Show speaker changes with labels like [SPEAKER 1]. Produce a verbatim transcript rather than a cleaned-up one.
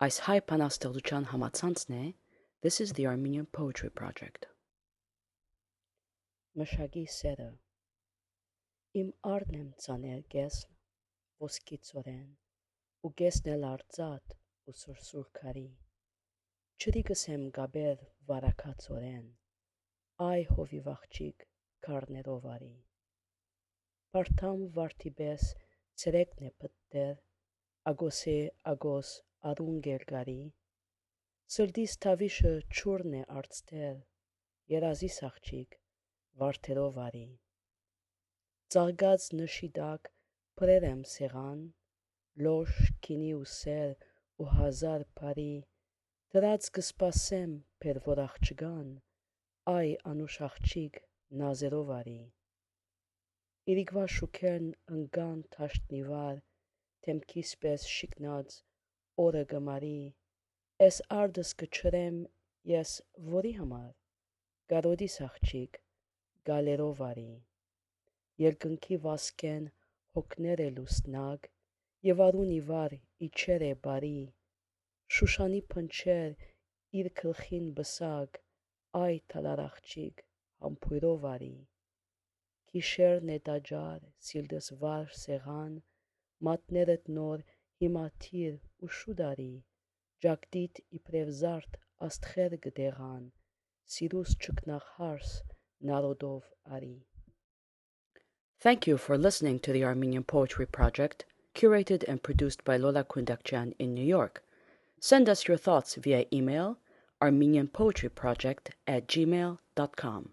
[SPEAKER 1] Այս հայ բանաստեղծության համացանցն է This is the Armenian Poetry Project. Մշակի սերը Իմ արն եմ ծանել գեսն ոսկի ծորեն ու գեսն էլ արծաթ ու սուրսուր քարի չրիկս եմ գաբեր վարակացորեն այ հովիվ աղջիկ քարներով արի Բարթամ վարդի պես ցերեկն է պտտեր ագոսե ագոս արուն գերգարի Սրդիս թավիշը չուրն է արծտեր երազիս աղջիկ վարդերով արի Ծաղկած նշի տակ փրեր եմ սեղան լոշ քինի ու սեր ու հազար բարի դրած կսպասեմ բեր որ աղջկան այ անուշ աղջիկ նազերով արի Իրիկվա շուքերն ընկան թաշտնի վար թեմքիս պես շիկնած օրը գմարի Էս արդս կչրեմ ես որի համար գարոդիս աղջիկ գալերով արի Երկնքի վասկեն հոգներ է լուսնակ եւ արուն իվար իջեր է բարի Շուշանի փնչեր իր գլխին բսակ այ թալար աղջիկ համբույրով արի Գիշերն է տաճար սիլդս վար սեղան մատներդ նոր հիմա թիր ու շուտ արի Ջակդիդ իբրև զարդ աստղեր գդեղան սիրուս չկնախ հարս նարոդով արի Thank you for listening to the Armenian Poetry Project, curated and produced by Lola Kundakjian in New York. Send us your thoughts via email armenianpoetryproject at gmail dot com.